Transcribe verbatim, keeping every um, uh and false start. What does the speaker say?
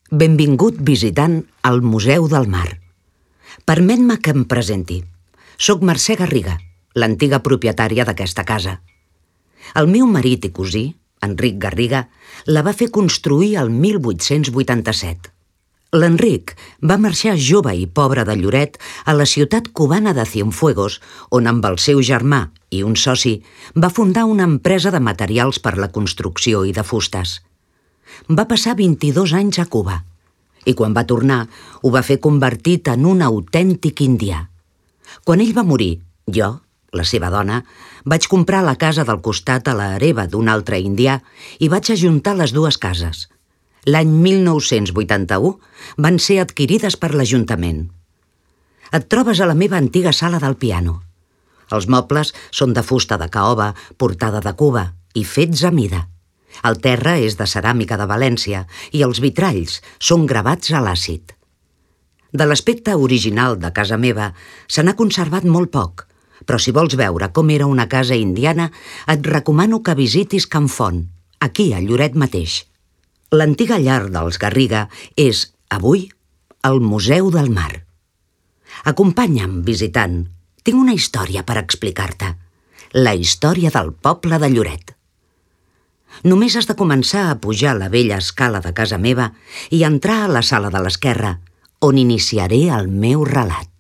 Benvingut visitant al Museu del Mar. Permet-me que em presenti. Soc Mercè Garriga, l'antiga propietària d'aquesta casa. El meu marit i cosí, Enric Garriga, la va fer construir el mil vuit-cents vuitanta-set. L'Enric va marxar jove i pobre de Lloret a la ciutat cubana de Cienfuegos, on amb el seu germà i un soci va fundar una empresa de materials per la construcció i de fustes. Va passar vint-i-dos anys a Cuba i quan va tornar ho va fer convertit en un autèntic indià. Quan ell va morir, jo, la seva dona, vaig comprar la casa del costat a la hereva d'un altre indià i vaig ajuntar les dues cases. L'any mil nou-cents vuitanta-u van ser adquirides per l'Ajuntament. Et trobes a la meva antiga sala del piano. Els mobles són de fusta de caoba portada de Cuba i fets a mida. El terra és de ceràmica de València i els vitralls són gravats a l'àcid. De l'aspecte original de casa meva se n'ha conservat molt poc, però si vols veure com era una casa indiana, et recomano que visitis Can Font, aquí a Lloret mateix. L'antiga llar dels Garriga és, avui, el Museu del Mar. Acompanya'm, visitant. Tinc una història per explicar-te. La història del poble de Lloret. Només has de començar a pujar la vella escala de casa meva i entrar a la sala de l'esquerra, on iniciaré el meu relat.